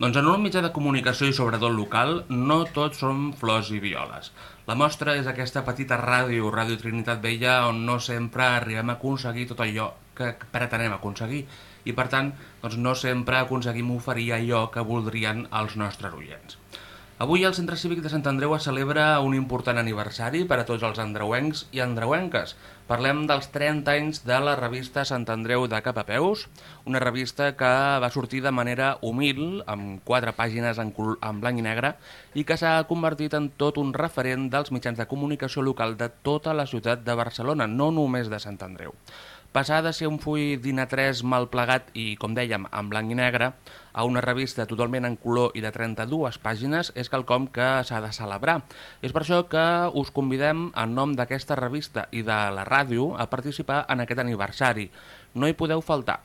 Doncs en un mitjà de comunicació i sobretot local, no tots són flors i violes. La mostra és aquesta petita ràdio, Ràdio Trinitat Vella, on no sempre arribem a aconseguir tot allò que pretenem aconseguir i, per tant, doncs no sempre aconseguim oferir allò que voldrien els nostres oients. Avui el Centre Cívic de Sant Andreu es celebra un important aniversari per a tots els andreuencs i andreuenques. Parlem dels 30 anys de la revista Sant Andreu de Cap a Peus, una revista que va sortir de manera humil, amb 4 pàgines en blanc i negre, i que s'ha convertit en tot un referent dels mitjans de comunicació local de tota la ciutat de Barcelona, no només de Sant Andreu. Passar de ser un full d'Ina3 mal plegat i, com dèiem, en blanc i negre, a una revista totalment en color i de 32 pàgines és quelcom que s'ha de celebrar. És per això que us convidem, en nom d'aquesta revista i de la ràdio, a participar en aquest aniversari. No hi podeu faltar.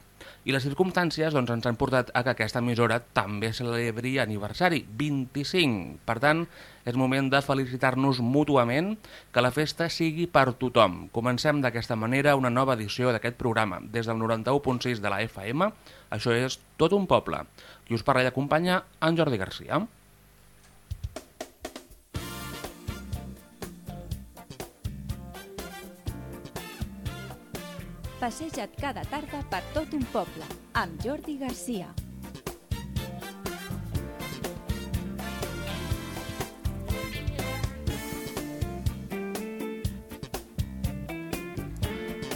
I les circumstàncies ens han portat a que aquesta emissora també celebri aniversari, 25. Per tant, és moment de felicitar-nos mútuament, que la festa sigui per tothom. Comencem d'aquesta manera una nova edició d'aquest programa, des del 91.6 de la FM. Això és Tot un poble. Qui us parla i acompanya, en Jordi Garcia. Passeja't cada tarda per tot un poble, amb Jordi Garcia.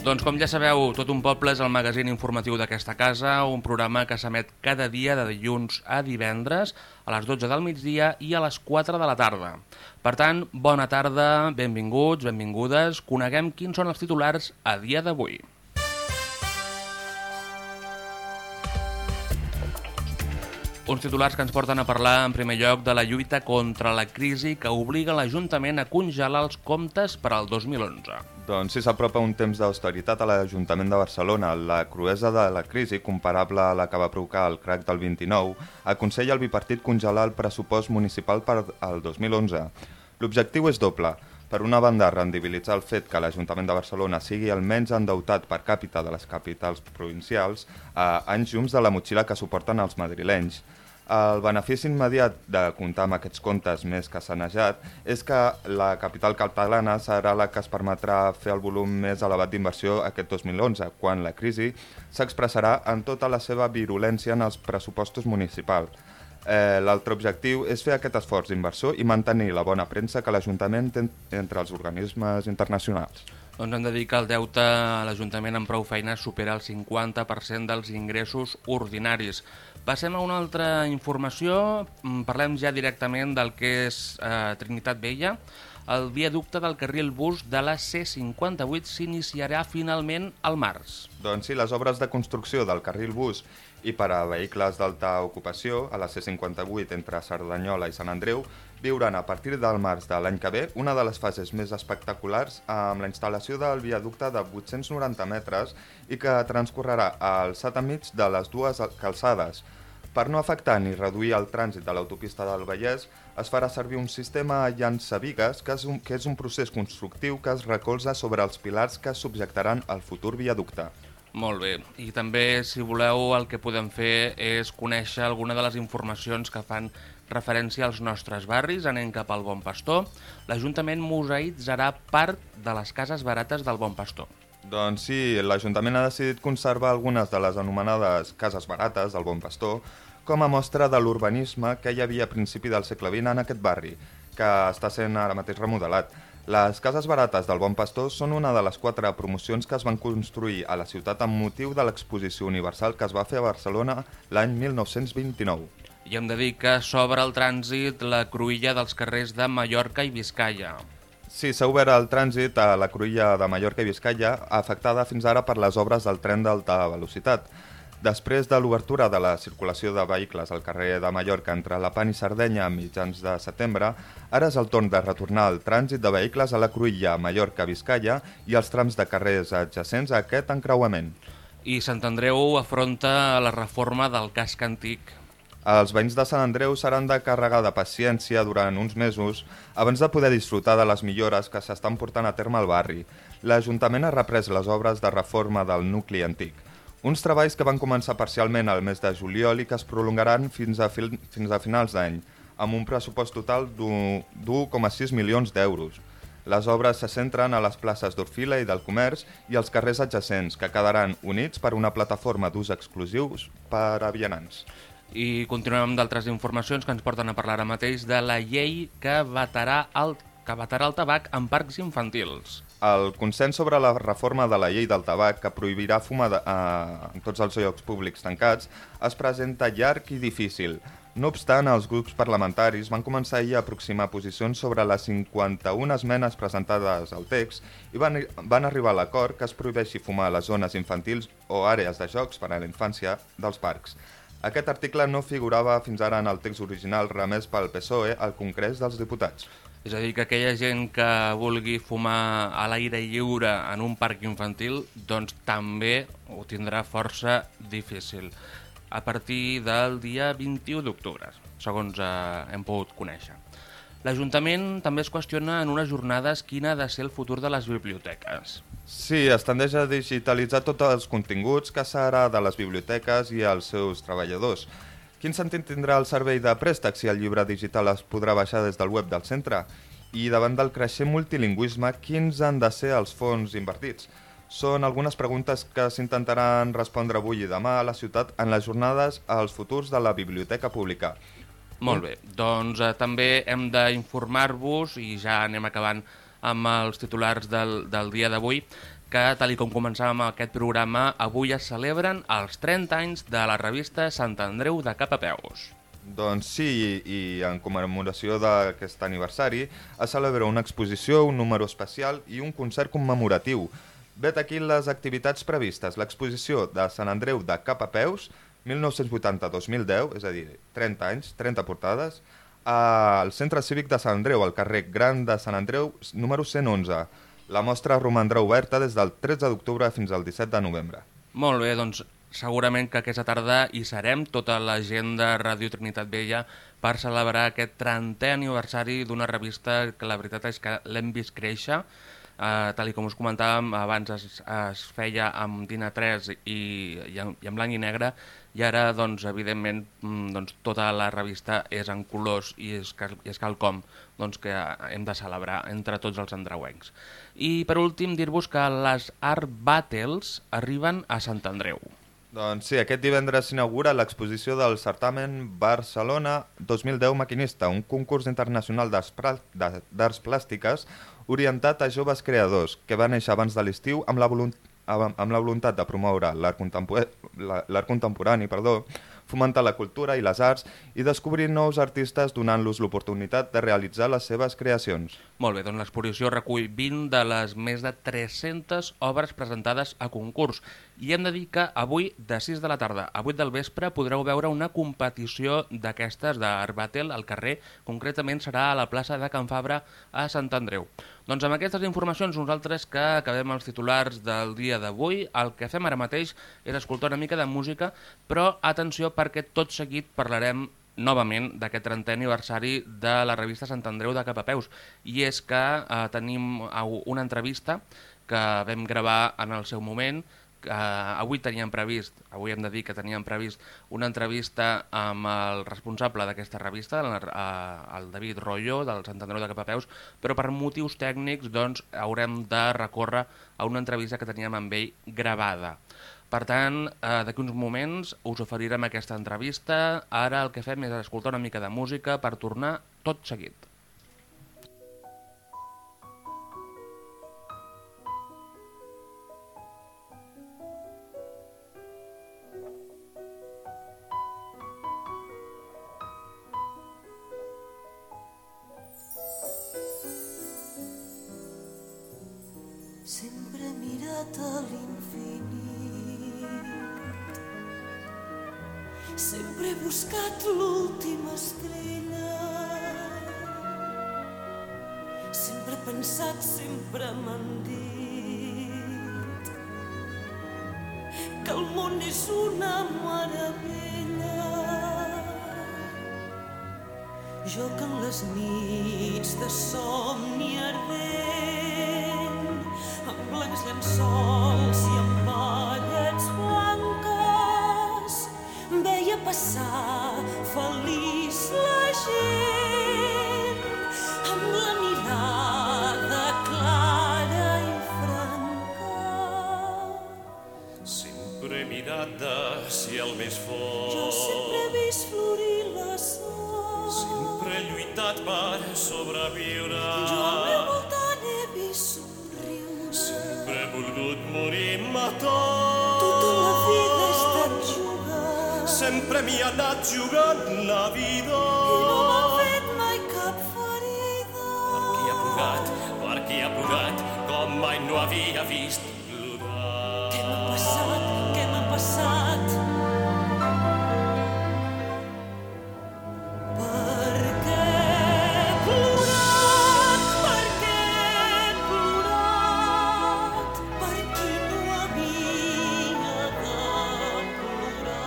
Doncs com ja sabeu, Tot un poble és el magazín informatiu d'aquesta casa, un programa que s'emet cada dia de dilluns a divendres, a les 12 del migdia i a les 4 de la tarda. Per tant, bona tarda, benvinguts, benvingudes, coneguem quins són els titulars a dia d'avui. Uns titulars que ens porten a parlar, en primer lloc, de la lluita contra la crisi que obliga l'Ajuntament a congelar els comptes per al 2011. Doncs sí, s'apropa un temps d'austeritat a l'Ajuntament de Barcelona. La cruesa de la crisi, comparable a la que va provocar el crac del 29, aconsella al bipartit congelar el pressupost municipal per al 2011. L'objectiu és doble. Per una banda, rendibilitzar el fet que l'Ajuntament de Barcelona sigui el menys endeutat per càpita de les capitals provincials a anys llums de la motxilla que suporten els madrilenys. El benefici immediat de comptar amb aquests comptes més que sanejat és que la capital catalana serà la que es permetrà fer el volum més elevat d'inversió aquest 2011, quan la crisi s'expressarà en tota la seva virulència en els pressupostos municipals. L'altre objectiu és fer aquest esforç d'inversor i mantenir la bona premsa que l'Ajuntament té entre els organismes internacionals. Doncs hem de dir que el deute a l'Ajuntament amb prou feines supera el 50% dels ingressos ordinaris. Passem a una altra informació, parlem ja directament del que és Trinitat Vella. El viaducte del carril bus de la C58 s'iniciarà finalment al març. Doncs sí, les obres de construcció del carril bus i per a vehicles d'alta ocupació a la C58 entre Cerdanyola i Sant Andreu viuran a partir del març de l'any que ve una de les fases més espectaculars amb la instal·lació del viaducte de 890 metres i que transcorrerà al alçat enmig de les dues calçades. Per no afectar ni reduir el trànsit de l'autopista del Vallès, es farà servir un sistema llançavigues que és un procés constructiu que es recolza sobre els pilars que subjectaran el futur viaducte. Molt bé, i també, si voleu, el que podem fer és conèixer alguna de les informacions que fan referència als nostres barris. Anem cap al Bon Pastor. L'Ajuntament museïtzarà part de les cases barates del Bon Pastor. Doncs sí, l'Ajuntament ha decidit conservar algunes de les anomenades cases barates del Bon Pastor com a mostra de l'urbanisme que hi havia a principi del segle XX en aquest barri, que està sent ara mateix remodelat. Les cases barates del Bon Pastor són una de les 4 promocions que es van construir a la ciutat amb motiu de l'Exposició Universal que es va fer a Barcelona l'any 1929. I hem de dir que s'obre el trànsit la cruïlla dels carrers de Mallorca i Biscaia. Sí, s'ha obert el trànsit a la cruïlla de Mallorca i Biscaia, afectada fins ara per les obres del tren d'alta velocitat. Després de l'obertura de la circulació de vehicles al carrer de Mallorca entre Lepant i Sardenya a mitjans de setembre, ara és el torn de retornar el trànsit de vehicles a la cruïlla Mallorca-Biscaia i els trams de carrers adjacents a aquest encreuament. I Sant Andreu afronta la reforma del casc antic. Els veïns de Sant Andreu seran de carregar de paciència durant uns mesos abans de poder disfrutar de les millores que s'estan portant a terme al barri. L'Ajuntament ha reprès les obres de reforma del nucli antic. Uns treballs que van començar parcialment al mes de juliol i que es prolongaran fins a finals d'any, amb un pressupost total d'1,6 milions d'euros. Les obres se centren a les places d'Orfila i del Comerç i els carrers adjacents, que quedaran units per una plataforma d'ús exclusius per a vianants. I continuem amb d'altres informacions que ens porten a parlar ara mateix de la llei que vetarà el tabac en parcs infantils. El consens sobre la reforma de la llei del tabac, que prohibirà fumar en tots els llocs públics tancats, es presenta llarg i difícil. No obstant, els grups parlamentaris van començar ahir a aproximar posicions sobre les 51 esmenes presentades al text i van arribar a l'acord que es prohibeixi fumar a les zones infantils o àrees de jocs per a la infància dels parcs. Aquest article no figurava fins ara en el text original remès pel PSOE al Congrés dels Diputats. És a dir, que aquella gent que vulgui fumar a l'aire lliure en un parc infantil, doncs també ho tindrà força difícil a partir del dia 21 d'octubre, segons hem pogut conèixer. L'Ajuntament també es qüestiona en unes jornades quin ha de ser el futur de les biblioteques. Sí, es tendeix a digitalitzar tots els continguts que serà de les biblioteques i els seus treballadors. Quin sentit tindrà el servei de préstec si el llibre digital es podrà baixar des del web del centre? I davant del creixent multilingüisme, quins han de ser els fons invertits? Són algunes preguntes que s'intentaran respondre avui i demà a la ciutat en les jornades als futurs de la biblioteca pública. Molt bé, doncs també hem d'informar-vos, i ja anem acabant amb els titulars del dia d'avui, que, tal com començàvem aquest programa, avui es celebren els 30 anys de la revista Sant Andreu de Cap a Peus. Doncs sí, i en commemoració d'aquest aniversari es celebra una exposició, un número especial i un concert commemoratiu. Vet aquí les activitats previstes. L'exposició de Sant Andreu de Cap a Peus, 1980-2010, és a dir, 30 anys, 30 portades, al Centre Cívic de Sant Andreu, al carrer Gran de Sant Andreu, número 111. La mostra romandrà oberta des del 13 d'octubre fins al 17 de novembre. Molt bé, doncs segurament que aquesta tarda hi serem, tota la gent de Ràdio Trinitat Vella, per celebrar aquest 30è aniversari d'una revista que la veritat és que l'hem vist créixer. Tal com us comentàvem, abans es feia amb Dina 3 i en blanc i negre, i ara, doncs, evidentment, tota la revista és en colors i és quelcom que hem de celebrar entre tots els andreuencs. I, per últim, dir-vos que les Art Battles arriben a Sant Andreu. Doncs sí, aquest divendres s'inaugura l'exposició del certamen Barcelona 2010 Maquinista, un concurs internacional d'arts plàstiques orientat a joves creadors, que va néixer abans de l'estiu amb la voluntat de promoure l'art contemporani, fomentar la cultura i les arts i descobrir nous artistes donant-los l'oportunitat de realitzar les seves creacions. Molt bé, doncs l'exposició recull 20 de les més de 300 obres presentades a concurs. I hem de dir que avui, de 6 de la tarda a 8 del vespre, podreu veure una competició d'aquestes d'Art Battle al carrer. Concretament serà a la plaça de Can Fabra a Sant Andreu. Doncs amb aquestes informacions nosaltres que acabem els titulars del dia d'avui. El que fem ara mateix és escoltar una mica de música, però atenció perquè tot seguit parlarem novament d'aquest 30è aniversari de la revista Sant Andreu de Cap a Peus. I és que tenim una entrevista que vam gravar en el seu moment. Avui hem de dir que teníem previst una entrevista amb el responsable d'aquesta revista, el David Rollo, del Sant Andreu de Cap a Peus, però per motius tècnics haurem de recórrer a una entrevista que teníem amb ell gravada. Per tant, d'aquí uns moments us oferirem aquesta entrevista. Ara el que fem és escoltar una mica de música per tornar tot seguit. Sempre he mirat a l'infinit, sempre he buscat l'última estrella, sempre he pensat, sempre m'han dit que el món és una meravella. Jo que en les nits de somni ardent, amb blancs llençols i amb ballets blancs ciel més fort. Jo sempre he vist florir la sort. Sempre he lluitat per sobreviure. Jo al meu voltant he vist somriure. Sempre he volgut morir-me tot. Tota la vida he estat jugant. Sempre m'hi ha anat jugant la vida. I no m'han fet mai cap ferida. Per qui ha plorat, com mai no havia vist plorar. Què m'ha passat? Què m'ha passat? Per què he plorat? Per què he plorat? Per qui no havia de plorar?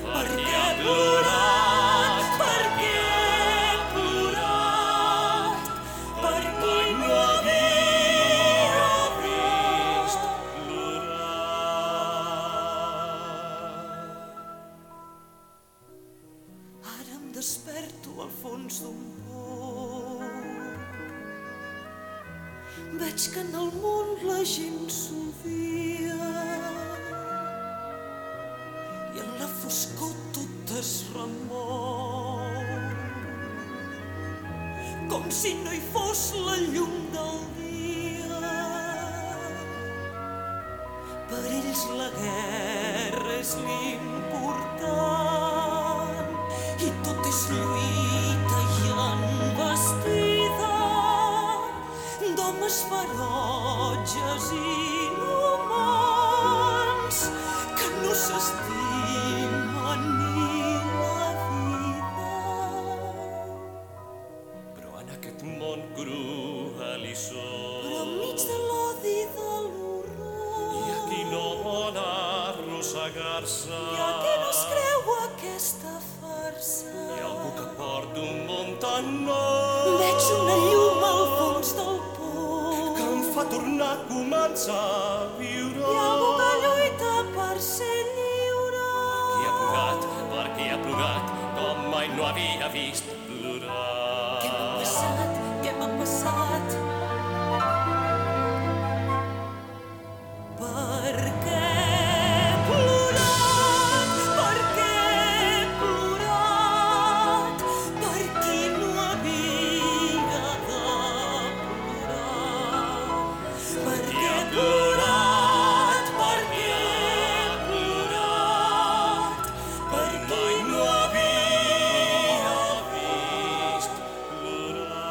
Per què he plorat? Per què he plorat? Per qui no havia vist plorar. Ara em desperto al fons d'un pou. Veig que en el món la gent s'odia i en la foscor tot es remou, com si no hi fos la llum del dia. Per ells la guerra és l'important i tot és lluita i envestida d'homes ferotges i inhumans que no s'estimen ni la vida. Però en aquest món cruel i sol, Però enmig de l'odi i de l'horror hi ha qui no vol arrossegar-se. hi ha qui no es creu aquesta farsa. Hi ha algú que porta un món tan nou Veig una llum al fons del pou. que em fa tornar a començar a viure. Hi ha algú que lluita per ser lliure. Per qui ha plorat, com mai no havia vist plorar. Què m'ha passat? Què m'ha passat? Per què he plorat? Per què he plorat? Per qui no havia de plorar? Per què he plorat? Per què he plorat? Per Mai no havia vist plorar.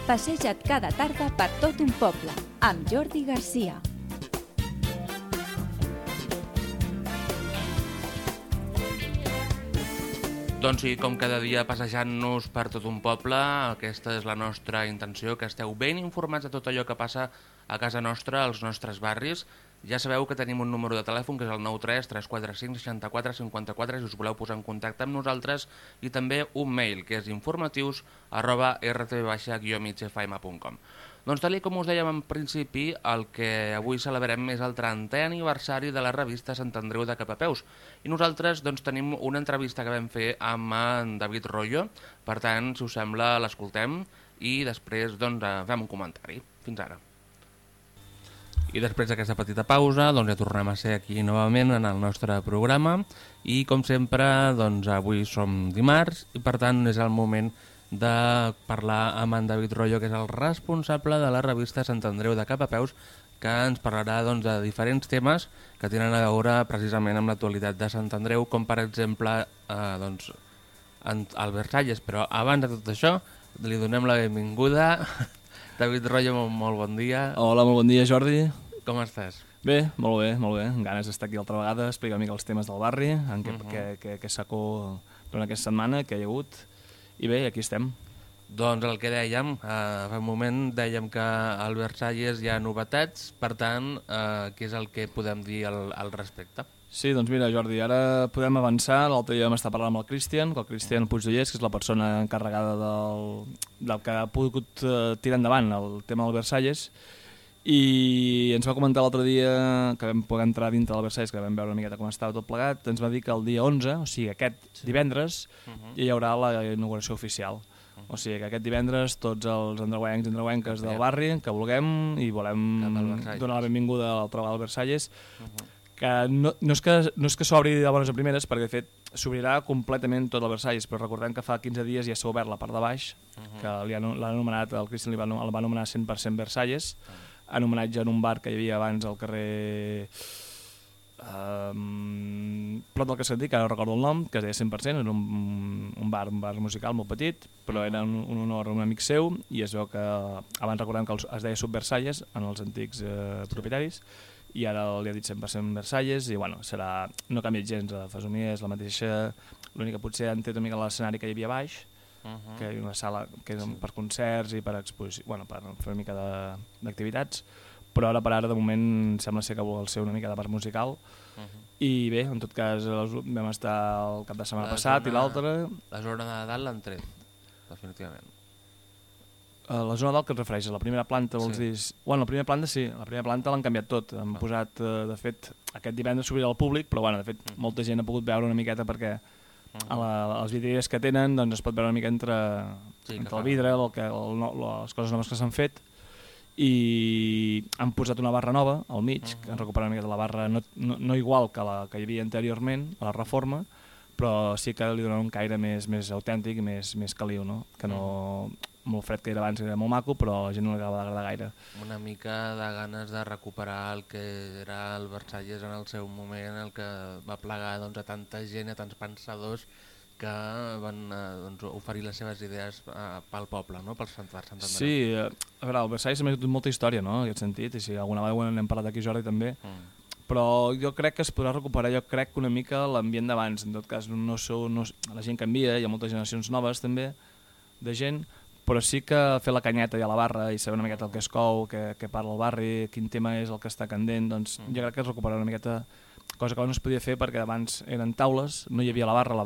Passeja't cada tarda per tot un poble, amb Jordi Garcia. Doncs sí, com cada dia passejant-nos per tot un poble, aquesta és la nostra intenció, que esteu ben informats de tot allò que passa a casa nostra, als nostres barris. Ja sabeu que tenim un número de telèfon, que és el 93 345 64 54, si us voleu posar en contacte amb nosaltres, i també un mail, que és informatius@rtv-migfm.com. Doncs tal com us dèiem en principi, el que avui celebrem és el 30è aniversari de la revista Sant Andreu de Capapeus. I nosaltres doncs, tenim una entrevista que vam fer amb en David Rollo. Per tant, si us sembla, l'escoltem i després doncs, fem un comentari. Fins ara. I després d'aquesta petita pausa doncs, ja tornem a ser aquí novament en el nostre programa i com sempre doncs, avui som dimarts i per tant és el moment de parlar amb en David Rollo, que és el responsable de la revista Sant Andreu de Capapeus, que ens parlarà doncs, de diferents temes que tenen a veure precisament amb l'actualitat de Sant Andreu, com per exemple doncs, el Versalles. Però abans de tot això li donem la benvinguda. David Rollo, molt bon dia. Hola, molt bon dia, Jordi. Com estàs? Bé, molt bé, molt bé. Amb ganes d'estar aquí altra vegada, explicar una mica els temes del barri, en què sacó durant aquesta setmana, que hi ha hagut. I bé, aquí estem. Doncs el que dèiem, fa un moment dèiem que al Versalles hi ha novetats, per tant, què és el que podem dir al respecte? Sí, doncs mira, Jordi, ara podem avançar. L'altre dia vam estar parlant amb el Cristian Puigdollers, que és la persona encarregada del que ha pogut tirar endavant el tema del Versalles, i ens va comentar l'altre dia que vam poder entrar dintre del Versalles, que vam veure una miqueta com estava tot plegat. Ens va dir que el dia 11, o sigui aquest divendres, hi haurà la inauguració oficial. O sigui que aquest divendres tots els andreuencs i andreuenques del barri que vulguem i volem donar la benvinguda al treball del Versalles, que no és que s'obri de bones a primeres, perquè de fet s'obrirà completament tot el Versalles, però recordem que fa 15 dies ja s'ha obert la part de baix, que l'ha anomenat, el Cristian el va anomenar 100% Versalles, en homenatge a un bar que hi havia abans al carrer prop del Cascantí, que ara no recordo el nom, que es deia 100%, era un bar musical molt petit, però era un honor a un amic seu, i es veu que abans recordem que es deia Subversalles en els antics propietaris, i ara li ha dit 100% Versalles, i bueno, no ha canviat gens, la fesomia és la mateixa, l'única potser han tret una mica l'escenari que hi havia baix, que hi ha una sala que és per concerts i per exposició, bueno, per fer una mica d'activitats, però ara per ara de moment sembla ser que vol ser una mica de part musical, i bé, en tot cas vam estar el cap de setmana passat i l'altre. La zona de dalt l'han tret, definitivament. La zona dalt que et refereixes? La primera planta vols dir? Bueno, la primera planta sí, la primera planta l'han canviat tot, han posat, de fet, aquest divendres s'obrirà al públic, però bueno, de fet molta gent ha pogut veure una miqueta perquè a les vidrieres que tenen doncs es pot veure una mica entre el vidre, les coses noves que s'han fet, i han posat una barra nova al mig, que han recuperat una mica de la barra no igual que la que hi havia anteriorment a la reforma, però sí que li donen un caire més autèntic i més caliu, no? Que no molt fred que era abans, era molt maco, però a la gent no li acaba d'agradar gaire. Una mica de ganes de recuperar el que era el Versalles en el seu moment, el que va plegar doncs, a tanta gent, a tants pensadors que van oferir les seves idees pel poble, no? Per Sant Andreu. Sí, a veure, el Versalles ha tingut molta història, no?, en aquest sentit, i si alguna vegada n'hem parlat aquí, Jordi, també, però jo crec que es podrà recuperar, jo crec que una mica l'ambient d'abans, en tot cas la gent canvia, hi ha moltes generacions noves també, de gent, però sí que fer la canyeta i a la barra i saber una miqueta el que es cou, què parla el barri, quin tema és el que està candent, doncs jo crec que es recuperarà una miqueta, cosa que no es podia fer perquè abans eren taules, no hi havia la barra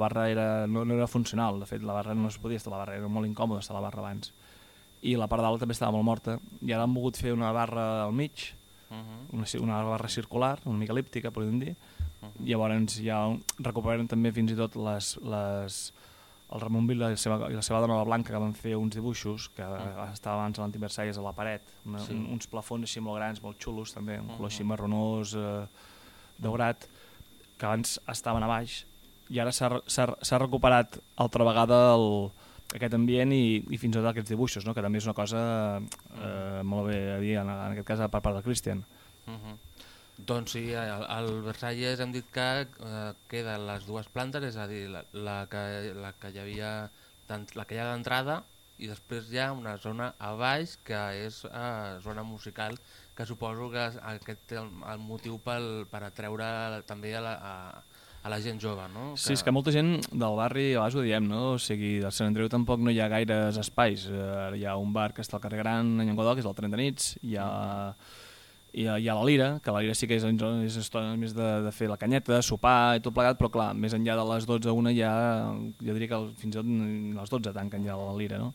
no era funcional, de fet la barra no es podia estar a la barra, era molt incòmode estar a la barra abans, i la part dalt també estava molt morta, i ara han volgut fer una barra al mig, una barra circular, una mica elíptica, podríem dir, llavors ja recuperen també fins i tot el Ramon Vila i la seva dona la Blanca, que van fer uns dibuixos que estava abans a l'Antic Versalles a la paret, uns plafons així molt grans, molt xulos també, un color així marronós, daurat, que abans estaven a baix, i ara s'ha recuperat altra vegada aquest ambient i fins i tot aquests dibuixos, no? Que també és una cosa molt bé a dir, en aquest cas per part del Cristian. Doncs sí, al Versalles hem dit que queden les dues plantes, és a dir, la que hi ha d'entrada, i després hi ha una zona a baix que és zona musical, que suposo que aquest és el motiu per atreure també a la gent jove, no? Sí, és que molta gent del barri, a vegades ho diem, no? O sigui, del Sant Andreu tampoc no hi ha gaires espais. Hi ha un bar que està al carrer Gran, a Llenguadoc, que és el Tren de Nits, hi ha la Lira, que la Lira sí que és estona més de fer la canyeta, sopar i tot plegat, però clar, més enllà de les 12 a 1 ja, jo diria que fins i tot les 12 tanquen ja la Lira, no?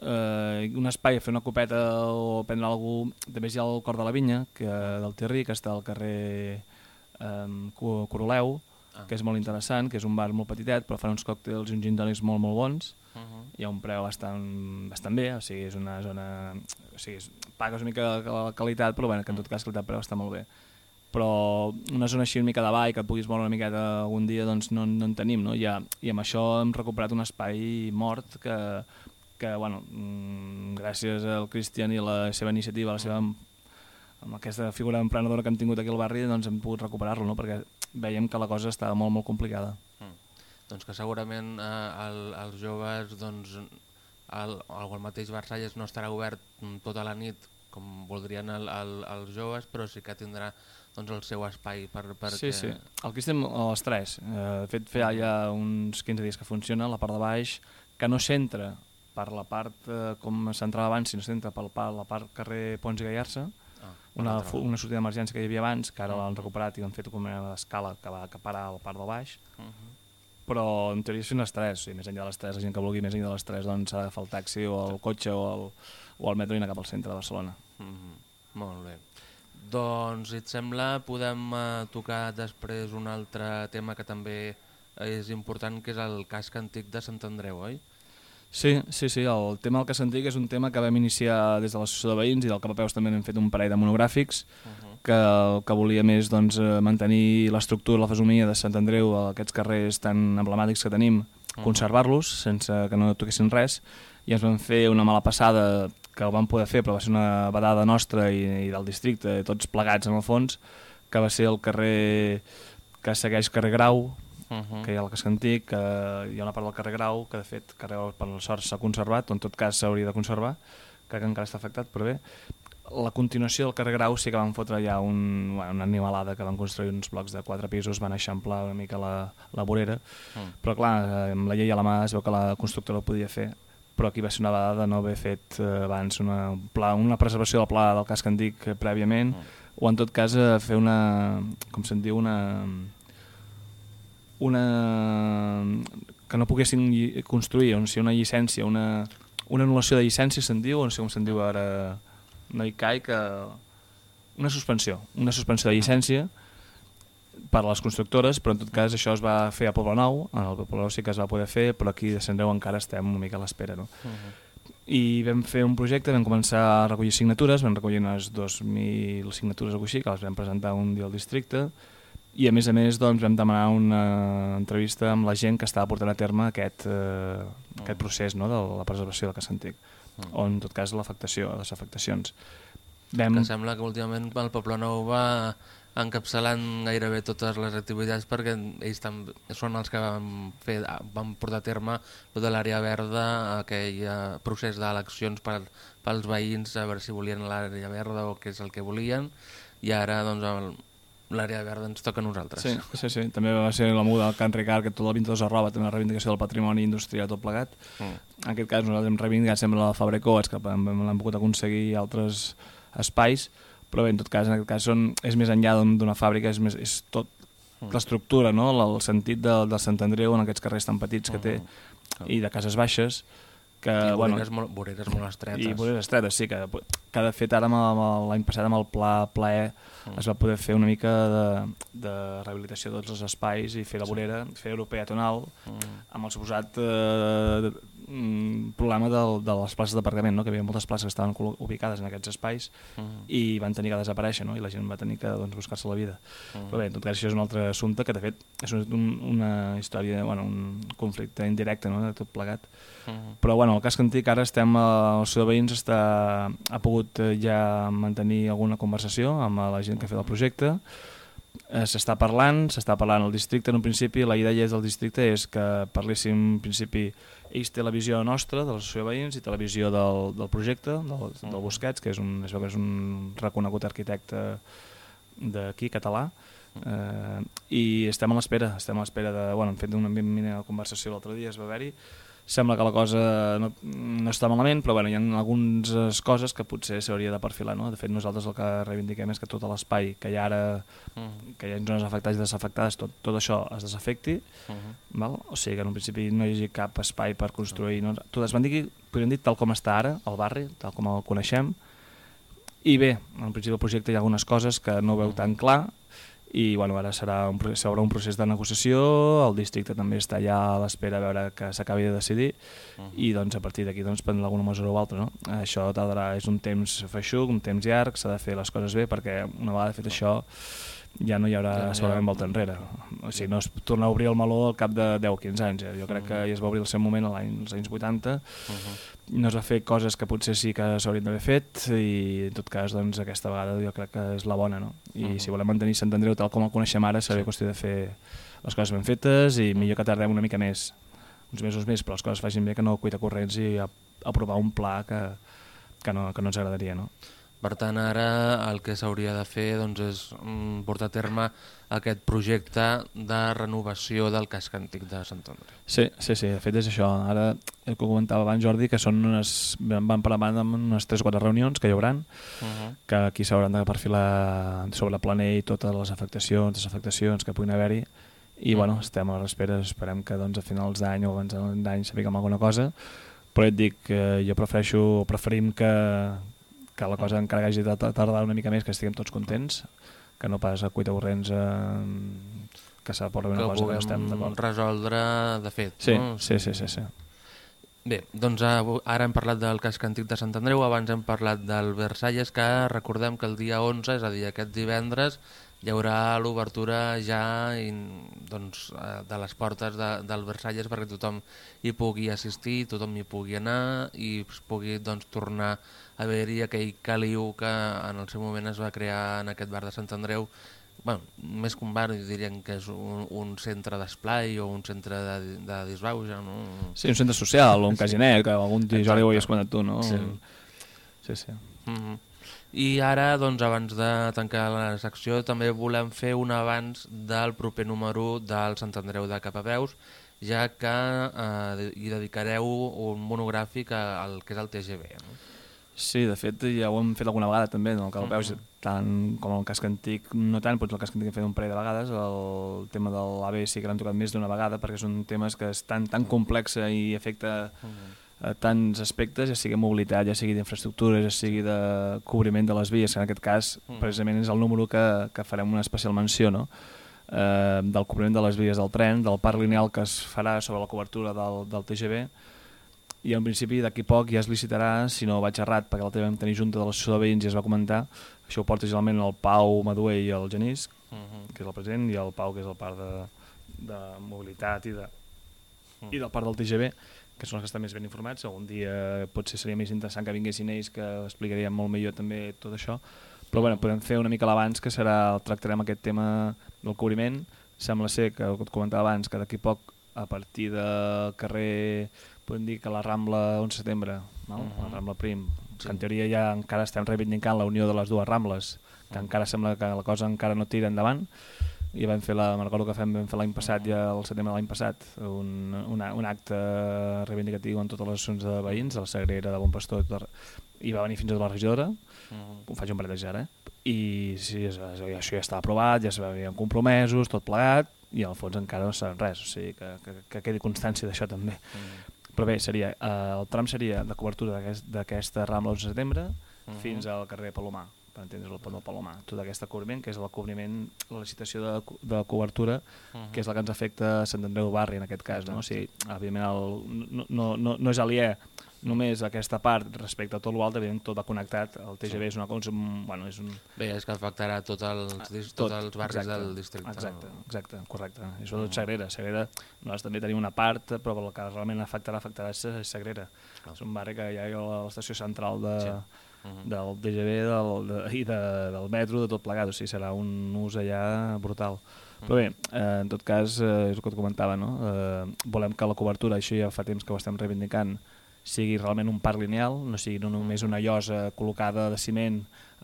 Un espai a fer una copeta o prendre alguna cosa, també hi ha el Cor de la Vinya, del Tirri, que està al carrer Coroleu, que és molt interessant, que és un bar molt petitet, però fan uns còctels i uns gin tònics molt, molt bons. Hi ha un preu bastant bé, o sigui, és una zona... O sigui, pagues una mica la qualitat, però bueno, que en tot cas qualitat-preu està molt bé. Però una zona així una mica de ball, que et puguis moure una miqueta algun dia, doncs no en tenim, no? I amb això hem recuperat un espai mort que bueno, gràcies al Cristian i la seva iniciativa, amb aquesta figura emprenedora que hem tingut aquí al barri, doncs hem pogut recuperar-lo, no? Perquè veiem que la cosa estava molt, molt complicada. Doncs que segurament els joves, doncs, el mateix Versalles no estarà obert tota la nit com voldrien els joves, però sí que tindrà doncs, el seu espai perquè... Sí. El Cristian a les 3. De fet, feia ja uns 15 dies que funciona, la part de baix, que no s'entra per la part, com s'entrava abans, si no s'entra per la part carrer Pons i Gallarça, una sortida d'emergència que hi havia abans, que ara l'han recuperat i han fet com una escala que va acaparar el part del baix, però en teoria són les 3, més enllà de les 3, la gent que vulgui més enllà de les 3 doncs s'ha d'agafar el taxi o el cotxe o el metro i anar cap al centre de Barcelona. Molt bé. Doncs, si et sembla, podem tocar després un altre tema que també és important, que és el casc antic de Sant Andreu, oi? Sí, el tema del casc antic és un tema que vam iniciar des de l'associació de veïns i del Capapeus també hem fet un parell de monogràfics que volia més mantenir l'estructura, la fesomia de Sant Andreu, aquests carrers tan emblemàtics que tenim, conservar-los sense que no toquessin res, i ens vam fer una mala passada que ho vam poder fer, però va ser una vedada nostra i del districte, tots plegats en el fons, que va ser el carrer que segueix carrer Grau, que hi ha el casc antic, que hi ha una part del carrer Grau, que de fet carrer Grau per la sort s'ha conservat, o en tot cas s'hauria de conservar, crec que encara està afectat, però bé. La continuació del carrer Grau sí que van fotre ja una animalada, que van construir uns blocs de 4 pisos, van eixamplar una mica la vorera, però clar, amb la llei a la mà es veu que la constructora ho podia fer, però aquí va ser una vegada de no haver fet abans una preservació del pla del casc antic prèviament, o en tot cas fer com se'n diu, que no poguessin construir, o sigui, una llicència, una anul·lació de llicència se'n diu, o no sé com se'n diu ara, no hi caic, una suspensió de llicència per a les constructores, però en tot cas això es va fer a Poblenou, al Poblenou sí que es va poder fer, però aquí de Sant Andreu encara estem una mica a l'espera, no? I vam fer un projecte, vam començar a recollir signatures, vam recollir unes 2.000 signatures o així, que les vam presentar un dia al districte, i a més doncs, vam demanar una entrevista amb la gent que estava portant a terme aquest procés, no?, de la preservació del casc antic, o en tot cas l'afectació, les afectacions. Que sembla que últimament el Poblenou va encapçalant gairebé totes les activitats, perquè ells també són els que van portar a terme tota l'àrea verda, aquell procés d'eleccions pels veïns, a veure si volien l'àrea verda o què és el que volien, i ara doncs l'àrea verda ens toca a nosaltres. Sí, també va ser la muda del Can Ricard, que tot el 22 arroba també la reivindicació del patrimoni industrial tot plegat. En aquest cas nosaltres hem reivindicat sempre la Fabrecoats, que l'hem pogut aconseguir altres espais, però bé, en tot cas, és més enllà d'una fàbrica, és tot l'estructura, no?, el sentit del Sant Andreu en aquests carrers tan petits que té, i de cases baixes, i voreres molt estretes. I voreres estretes, sí, que de fet ara l'any passat amb el plaer es va poder fer una mica de rehabilitació de tots els espais i fer la vorera, fer europea tonal, amb el suposat problema de les places d'aparcament, no?, que hi havia moltes places que estaven ubicades en aquests espais i van tenir que desaparèixer, no?, i la gent va tenir que buscar-se la vida. Però bé, en tot cas això és un altre assumpte que de fet és una història, un conflicte indirecte, no?, de tot plegat. Però bueno, el casc antic ara l'associació de veïns ha pogut ja mantenir alguna conversació amb la gent que ha fet el projecte. S'està parlant al districte en un principi. La idea del districte és que parléssim en principi, ells té la visió nostra de l'associació de veïns i té la visió del projecte, del Busquets, que és un reconegut arquitecte d'aquí, català, i estem a l'espera hem fet una mini conversació l'altre dia, es va haver-hi. Sembla que la cosa no està malament, però hi ha algunes coses que potser s'hauria de perfilar, no? De fet, nosaltres el que reivindiquem és que tot l'espai que hi ha ara, que hi ha zones afectades i desafectades, tot això es desafecti, o sigui que en un principi no hi hagi cap espai per construir. Tot es podríem dir tal com està ara, el barri, tal com el coneixem, i bé, en principi del projecte hi ha algunes coses que no veu tan clar, i ara s'obre un procés de negociació, el districte també està ja a l'espera a veure que s'acabi de decidir i doncs a partir d'aquí prendre alguna mesura o altra, no? Això tardarà, és un temps feixuc, un temps llarg, s'ha de fer les coses bé perquè una vegada fet això ja no hi haurà segurament volta enrere, o sigui, no es torna a obrir el meló al cap de 10 o 15 anys, jo crec que ja es va obrir el seu moment als anys 80, no es va fer coses que potser sí que s'haurien d'haver fet i en tot cas aquesta vegada jo crec que és la bona, no? I si volem mantenir Sant Andreu tal com el coneixem ara serà qüestió de fer les coses ben fetes i millor que tardem una mica més, uns mesos més, però les coses facin bé, que no cuita corrents i aprovar un pla que no ens agradaria, no? Per tant, ara el que s'hauria de fer doncs, és portar a terme aquest projecte de renovació del casc antic de Sant Andreu. Sí, de fet és això. Ara, el que comentava abans Jordi, que van parlar amb unes 3 o 4 reunions que hi haurà, que aquí s'hauran de perfilar sobre el planell totes les afectacions, desafectacions que puguin haver-hi, i bueno, estem a l'espera, esperem que doncs, a finals d'any o abans d'any sapiguem alguna cosa, però et dic que jo preferim que la cosa encara hagi de tardar una mica més, que estiguem tots contents, que no pas a cuita corrents que s'aporta una cosa que no estem d'acord. Que resoldre de fet. Sí, no? sí. Bé, doncs ara hem parlat del casc antic de Sant Andreu, abans hem parlat del Versalles, que recordem que el dia 11, és a dir, aquest divendres, hi haurà l'obertura ja doncs, de les portes del Versalles perquè tothom hi pugui assistir, tothom hi pugui anar i es pugui doncs, tornar a veure-hi aquell caliu que en el seu moment es va crear en aquest bar de Sant Andreu. Bueno, més que un bar, dirien que és un centre d'esplai o un centre de disbauxa, no? Sí, un centre social o un casinet, que algun dia jo ho havies comentat tu, no? Sí. I ara, doncs, abans de tancar la secció, també volem fer un avanç del proper número del Sant Andreu de Capaveus, ja que hi dedicareu un monogràfic al que és el TGV, no? Sí, de fet ja ho hem fet alguna vegada també, no? El Capaveus, tant com el casc antic, no tant, però el casc antic hem fet un parell de vegades, el tema de l'AVE sí que l'hem tocat més d'una vegada, perquè són temes que és tan complex i afecta a tants aspectes, ja sigui mobilitat, ja sigui d'infraestructures, ja sigui de cobriment de les vies, que en aquest cas precisament és el número que farem una especial menció, no? Del cobriment de les vies del tren, del parc lineal que es farà sobre la cobertura del TGV, i en principi d'aquí poc ja es licitarà, si no vaig errat, perquè l'altre vam tenir junta de l'associació de veïns i es va comentar, això ho porta generalment el Pau Maduer i el Genís, que és el president, i el Pau, que és el part de mobilitat i del part del TGV, que són els que estan més ben informats. Algun dia potser seria més interessant que vinguessin ells, que explicarien molt millor també tot això, però bueno, podem fer una mica l'abans, que serà, tractarem aquest tema del cobriment. Sembla ser que, el que et comentava abans, que d'aquí poc, a partir del carrer, podem dir que la Rambla 11 de setembre, no? La Rambla Prim, que en teoria ja encara estem reivindicant la unió de les dues Rambles, que encara sembla que la cosa encara no tira endavant, i vam fer me'n recordo que vam fer l'any passat, ja al setembre de l'any passat, un acte reivindicatiu en totes les associacions de veïns, de la Sagrera, de Bon Pastor, i va venir fins a la regidora, ho faig un parell de ara, i sí, això ja estava aprovat, ja s'havien compromesos, tot plegat, i al fons encara no saben res, o sigui que quedi constància d'això també. Però bé, el tram seria de cobertura d'aquesta Rambla 11 de setembre fins al carrer Palomar, per entendre's, el pont del Palomar. Tot aquest cobriment, que és el cobriment, la licitació de cobertura, que és la que ens afecta a Sant Andreu Barri en aquest cas, no? O sigui, evidentment no és aliè només aquesta part respecte a tot l'altre, evidentment tot va connectat, el TGV és una cosa, bueno, és un... Bé, és que afectarà tots els barris del districte. Exacte, correcte. I sobretot Sagrera. Nosaltres també tenim una part, però el que realment afectarà és Sagrera. És un barri que hi ha a l'estació central del TGV i del metro, de tot plegat, o sigui, serà un ús allà brutal. Però bé, en tot cas, és el que et comentava, no? Volem que la cobertura, això ja fa temps que ho estem reivindicant, sigui realment un parc lineal, no sigui només una llosa col·locada de ciment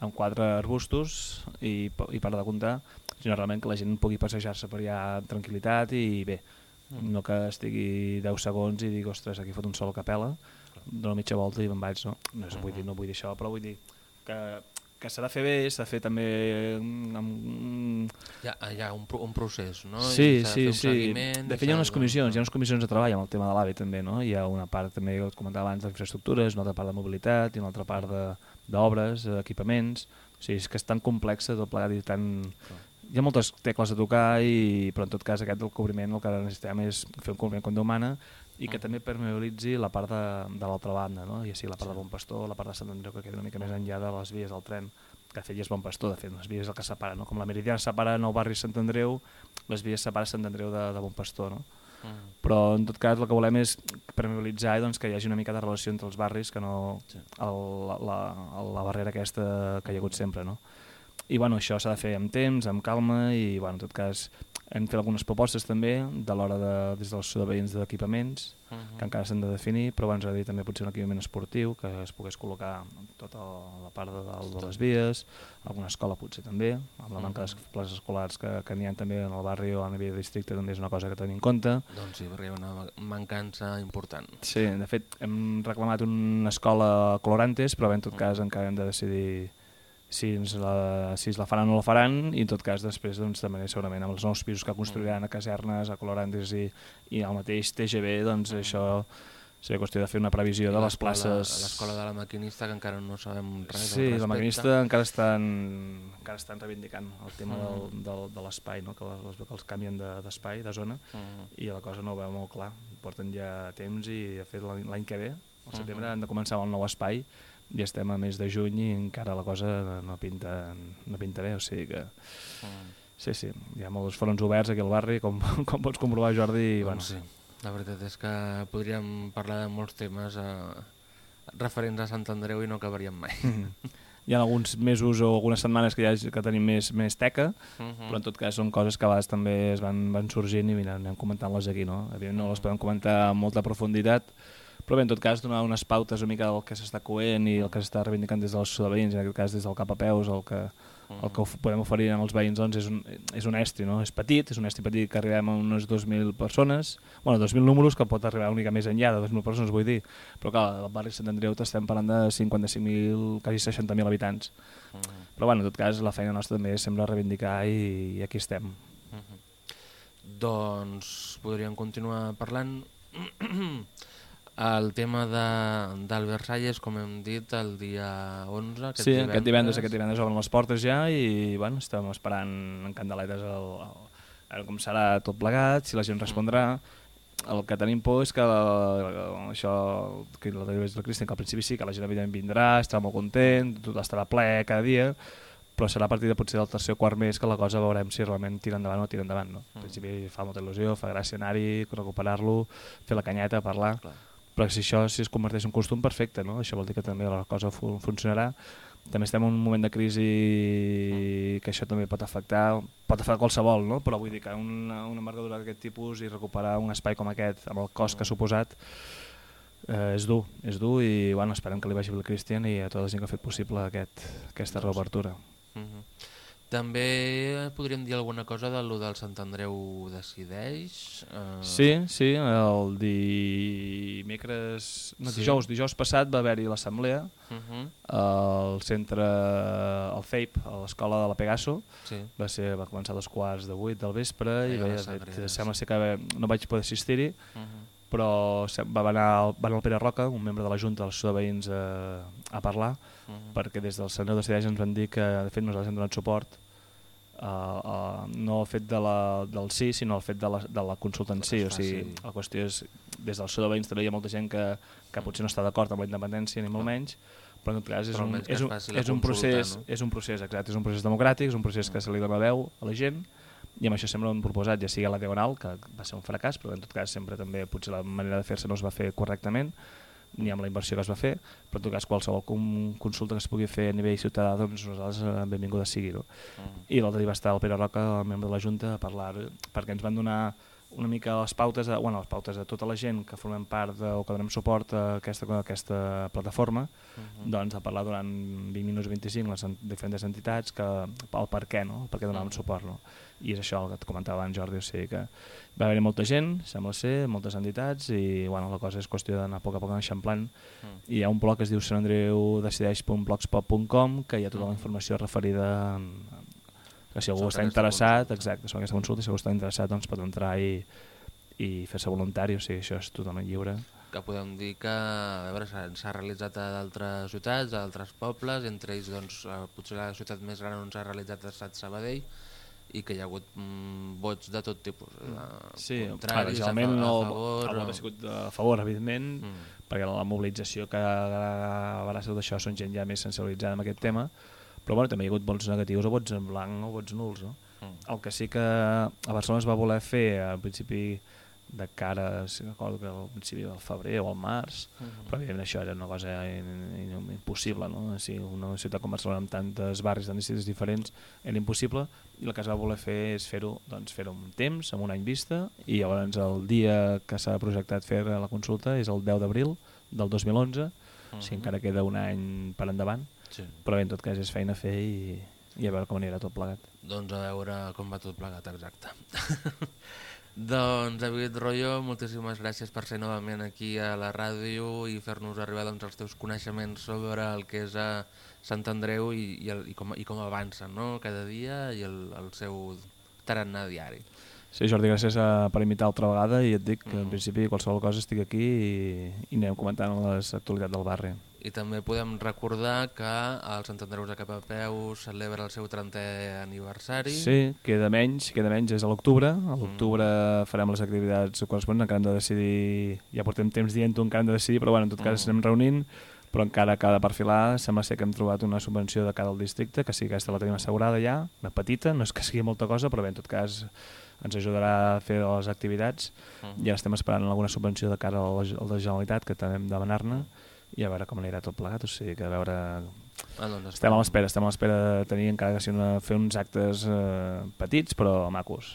amb 4 arbustos i per de comptar, sinó realment que la gent pugui passejar-se per allà amb tranquil·litat i bé, no que estigui 10 segons i digui, ostres, aquí fot un sol a capella, dono mitja volta i me'n vaig, no? No vull dir això, però vull dir que s'ha de fer bé, s'ha de fer també Hi ha un procés, no? Sí. De fet hi ha unes comissions de treball amb el tema de l'AVE també, no? Hi ha una part també, que comentava abans, d'infraestructures, una altra part de mobilitat i una altra part d'obres, equipaments, o sigui, és que és tan complexa tot plegat i tan... Hi ha moltes tecles a tocar, però en tot cas aquest del cobriment el que necessitem és fer un cobriment com Déu mana i que també permeabilitzi la part de l'altra banda, no? Ja sigui la part de Bon Pastor, la part de Sant Andreu, que queda una mica més enllà de les vies del tren, que de fet ja és Bon Pastor, de fet, les vies és el que separa, no? Com la Meridiana separa Nou Barri Sant Andreu, les vies separa Sant Andreu de Bon Pastor, no? Però en tot cas el que volem és permeabilitzar i que hi hagi una mica de relació entre els barris, que no la barrera aquesta que hi ha hagut sempre, no? I bueno, això s'ha de fer amb temps, amb calma, i bueno, en tot cas hem fet algunes propostes també de l'hora des dels veïns d'equipaments, que encara s'han de definir, però ens agradaria també potser un equipament esportiu que es pogués col·locar tota la part de dalt de les vies, alguna escola potser també, amb la manca de places escolars que n'hi ha també en el barri o a nivell de districte, també és una cosa que tenim en compte. Doncs sí, perquè hi ha una mancança important. Sí, de fet hem reclamat una escola Colorantes, però en tot cas encara hem de decidir si la faran o no la faran, i en tot cas després doncs, també segurament amb els nous pisos que construiran a Casernes, a Colorantes i al mateix TGV, doncs això seria qüestió de fer una previsió de les places. L'escola de la maquinista, que encara no sabem res al respecte. Sí, la maquinista encara estan reivindicant el tema de l'espai, no? que els canvien d'espai, de zona, i la cosa no ho veu molt clar. Porten ja temps i de fet l'any que ve, al setembre, han de començar el nou espai, i estem a mes de juny i encara la cosa no pinta bé, o sigui que sí, hi ha molts fronts oberts aquí al barri, com pots comprovar, Jordi, i bueno. Sí, la veritat és que podríem parlar de molts temes referents a Sant Andreu i no acabaríem mai. Hi ha alguns mesos o algunes setmanes que tenim més teca, però en tot cas són coses que a vegades també es van sorgint i mira, anem comentant-les aquí, no? Evidentment no les podem comentar amb molta profunditat, però bé, en tot cas, donar unes pautes una mica del que s'està coent i el que s'està reivindicant des dels veïns, en aquest cas des del cap a peus, el que podem oferir als veïns doncs, és un estri, no? És petit, és un estri petit que arribem a unes 2.000 persones, bueno, 2.000 números, que pot arribar una mica més enllà de 2.000 persones, vull dir, però clar, al barri Sant Andreu estem parlant de 55.000, quasi 60.000 habitants. Però bueno, en tot cas, la feina nostra també és sempre reivindicar i aquí estem. Doncs podríem continuar parlant. El tema del Versalles, com hem dit, el dia 11, aquest divendres. Sí, aquest divendres obren les portes ja i bueno, estem esperant en candeletes a veure com serà tot plegat, si la gent respondrà. El que tenim por és que això, que la televisió del Cristian, que al principi sí, que la gent evidentment vindrà, estarà molt content, tot estarà ple cada dia, però serà a partir de potser del tercer o quart mes que la cosa veurem si realment tira endavant o tira endavant. No? Al principi fa molta il·lusió, fa gràcia anar-hi, recuperar-lo, fer la canyeta, parlar... Clar. Però si això es converteix en costum, perfecte, no? Això vol dir que també la cosa funcionarà. També estem en un moment de crisi que això també pot afectar qualsevol, no? Però vull dir que una envergadura d'aquest tipus i recuperar un espai com aquest amb el cost que ha suposat és dur i bueno, esperem que li vagi bé al Cristian i a tota la gent que ha fet possible aquesta reobertura. També podríem dir alguna cosa del Sant Andreu decideix? Sí, el dijous passat va haver-hi l'assemblea al centre, al FEIP, a l'escola de la Pegaso. Va començar a 7:15 del vespre i sembla ser que no vaig poder assistir-hi, però va anar el Pere Roca, un membre de la Junta dels Veïns, a parlar, perquè des del Sant Andreu decideix ens van dir que de fet nosaltres hem donat suport no el fet del sí, sinó el fet de la consulta en si. O sigui, la qüestió és, des del Veïns també hi ha molta gent que potser no està d'acord amb la independència ni molt menys, però en tot cas és un procés exacte, és un procés democràtic, és un procés que se li dona veu a la gent, i amb això sempre ho hem proposat, ja sigui a la Diagonal, que va ser un fracàs, però en tot cas sempre també potser la manera de fer-se no es va fer correctament, ni amb la inversió que es va fer, però en tot cas qualsevol consulta que es pugui fer a nivell ciutadà, doncs nosaltres benvinguda sigui. No? I l'altre dia va estar el Pere Roca, el membre de la Junta, a parlar, perquè ens van donar una mica les pautes de tota la gent que formem part o que donem suport a aquesta plataforma, doncs a parlar durant 20 minuts o 25 les diferents entitats el per què, no? El per què donàvem suport. No? I és això el que et comentava abans, Jordi, o sigui que va haver-hi molta gent, sembla ser, moltes entitats, i bueno, la cosa és qüestió d'anar a poc a poc eixamplant. I hi ha un blog que es diu santandreudecideix.blogspot.com, que hi ha tota la informació referida que si algú està interessat, exacte, sobre aquesta consulta, si algú està interessat doncs pot entrar i fer-se voluntari, o sigui, això és totalment lliure. Que podem dir que s'ha realitzat a d'altres ciutats, a d'altres pobles, entre ells doncs, potser la ciutat més gran on s'ha realitzat ha estat Sabadell, i que hi ha hagut vots de tot tipus, contraris, a favor... El vot ha sigut a favor, evidentment, perquè la mobilització que haurà sigut això són gent ja més sensibilitzada amb aquest tema, però bueno, també hi ha hagut vots negatius o vots en blanc o vots nuls. No? El que sí que a Barcelona es va voler fer al principi de cara, si recordo que al principi del febrer o al març, però evidentment això era una cosa impossible, no? Si una ciutat com Barcelona amb tantes barris, tantes ciutats diferents, era impossible, i el que es va voler fer és fer-ho amb temps, amb un any vista, i llavors el dia que s'ha projectat fer la consulta és el 10 d'abril del 2011, o sigui, encara queda un any per endavant, però bé, en tot cas és feina a fer i a veure com anirà tot plegat. Doncs a veure com va tot plegat, exacte. Doncs David Royo, moltíssimes gràcies per ser novament aquí a la ràdio i fer-nos arribar els teus coneixements sobre el que és a Sant Andreu i com avancen, no? Cada dia i el seu tarannà diari. Sí, Jordi, gràcies per invitar altra vegada i et dic que en principi qualsevol cosa estic aquí i anem comentant les actualitats del barri. I també podem recordar que el Sant Andreu de Capapeu celebra el seu 30è aniversari. Sí, queda menys, és a l'octubre. A l'octubre farem les activitats corresponents, encara hem de decidir, ja portem temps dient-ho, encara hem de decidir, però bueno, en tot cas anem reunint, però encara cada perfilar sembla ser que hem trobat una subvenció de cada al districte, que sí que aquesta la tenim assegurada ja, una petita, no és que sigui molta cosa, però bé, en tot cas ens ajudarà a fer les activitats. Ja estem esperant alguna subvenció de cara a la Generalitat, que també hem de demanar-ne, i a veure com anirà tot plegat, o sigui que a veure... Estem a l'espera de tenir encara que fer uns actes petits però macos.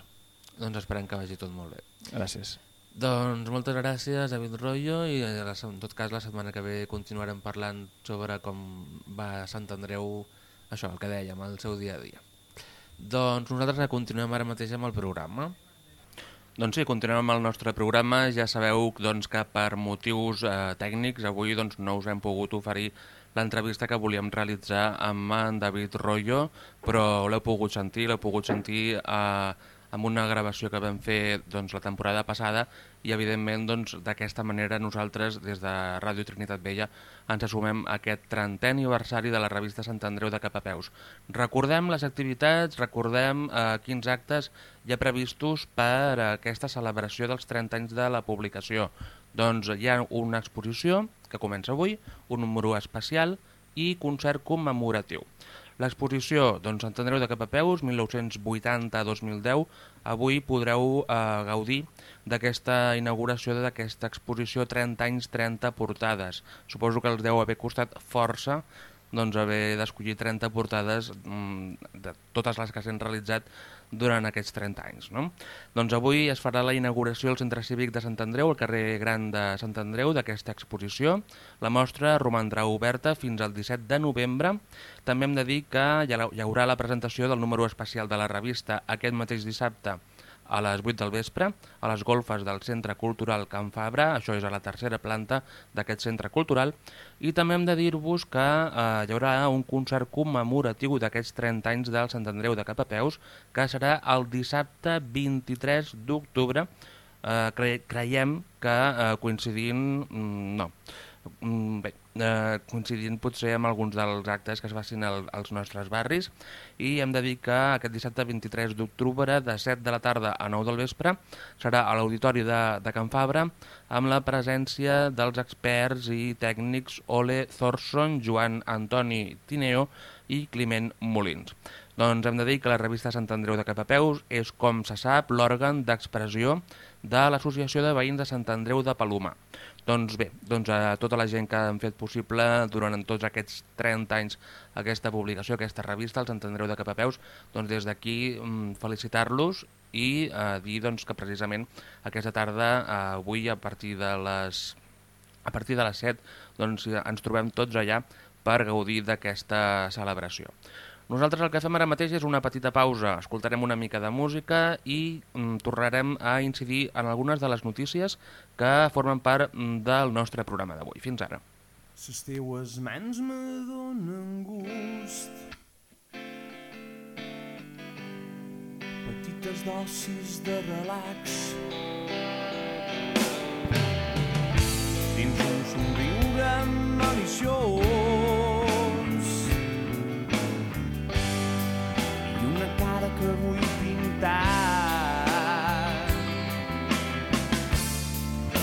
Doncs esperem que vagi tot molt bé. Gràcies. Doncs moltes gràcies, David Royo, i en tot cas la setmana que ve continuarem parlant sobre com va Sant Andreu, això, el que dèiem, el seu dia a dia. Doncs nosaltres continuem ara mateix amb el programa. Doncs sí, continuem amb el nostre programa. Ja sabeu que per motius tècnics avui no us hem pogut oferir l'entrevista que volíem realitzar amb en David Royo, però l'heu pogut sentir amb una gravació que vam fer la temporada passada i evidentment d'aquesta manera nosaltres des de Ràdio Trinitat Vella ens assumem a aquest 30è aniversari de la revista Sant Andreu de Capapeus. Recordem les activitats, recordem quins actes hi ha previstos per a aquesta celebració dels 30 anys de la publicació. Doncs hi ha una exposició que comença avui, un número especial i concert commemoratiu. L'exposició Sant Andreu de Capapeus, 1980-2010, avui podreu gaudir d'aquesta inauguració d'aquesta exposició 30 anys, 30 portades. Suposo que els deu haver costat força haver d'escollir 30 portades de totes les que s'han realitzat durant aquests 30 anys. No? Doncs avui es farà la inauguració al Centre Cívic de Sant Andreu, al carrer Gran de Sant Andreu, d'aquesta exposició. La mostra romandrà oberta fins al 17 de novembre. També hem de dir que hi haurà la presentació del número especial de la revista aquest mateix dissabte a les 8 del vespre, a les golfes del Centre Cultural Can Fabra, això és a la tercera planta d'aquest centre cultural, i també hem de dir-vos que hi haurà un concert commemoratiu d'aquests 30 anys del Sant Andreu de Capapeus, que serà el dissabte 23 d'octubre, creiem que coincidint... coincidint potser amb alguns dels actes que es facin als nostres barris, i hem de dir que aquest dissabte 23 d'octubre de 7 de la tarda a 9 del vespre serà a l'Auditori de Can Fabra amb la presència dels experts i tècnics Ole Thorson, Joan Antoni Tineo i Climent Molins. Doncs hem de dir que la revista Sant Andreu de Capapeus és, com se sap, l'òrgan d'expressió de l'Associació de Veïns de Sant Andreu de Palomar. Doncs bé, a tota la gent que han fet possible durant tots aquests 30 anys aquesta publicació, aquesta revista, el Sant Andreu de Capapeus, doncs des d'aquí felicitar-los i dir que precisament aquesta tarda, avui a partir de les 7, ens trobem tots allà per gaudir d'aquesta celebració. Nosaltres el que fem ara mateix és una petita pausa, escoltarem una mica de música i tornarem a incidir en algunes de les notícies que formen part del nostre programa d'avui. Fins ara. Les teues mans me donen gust, petites dosis de relax, dins un somriure maliciós, que vull pintar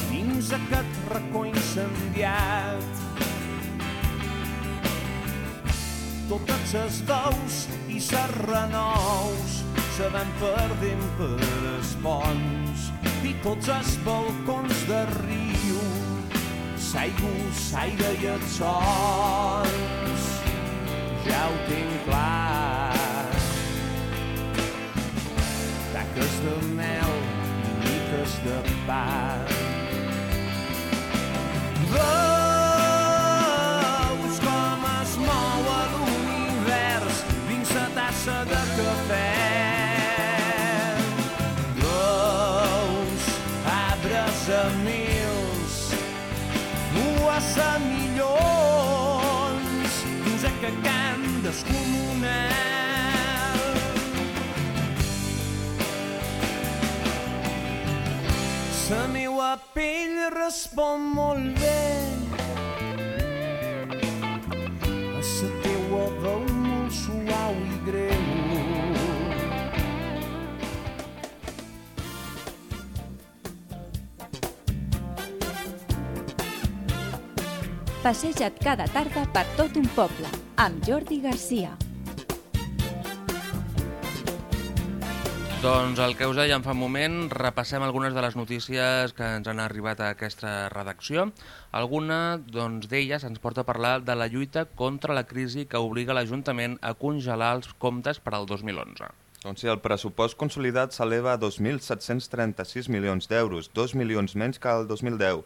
dins aquest racó incendiat. Totes les veus i les renous se van perdent per els ponts i tots els balcons de Rio, s'aire i els sols, ja ho tinc clar. Taques de mel i miques de pa. Veus com es mou l'univers dins la tassa de cafè. Veus arbres a mils, nues a milions, dins aquest camp descomunal. La meua pell respon molt bé a la teua veu molt suau i greu. Passeja't cada tarda per tot un poble, amb Jordi Garcia. Doncs el que us dèiem fa un moment, repassem algunes de les notícies que ens han arribat a aquesta redacció. Alguna d'elles ens porta a parlar de la lluita contra la crisi que obliga l'Ajuntament a congelar els comptes per al 2011. Doncs sí, el pressupost consolidat s'eleva a 2.736 milions d'euros, 2 milions menys que el 2010.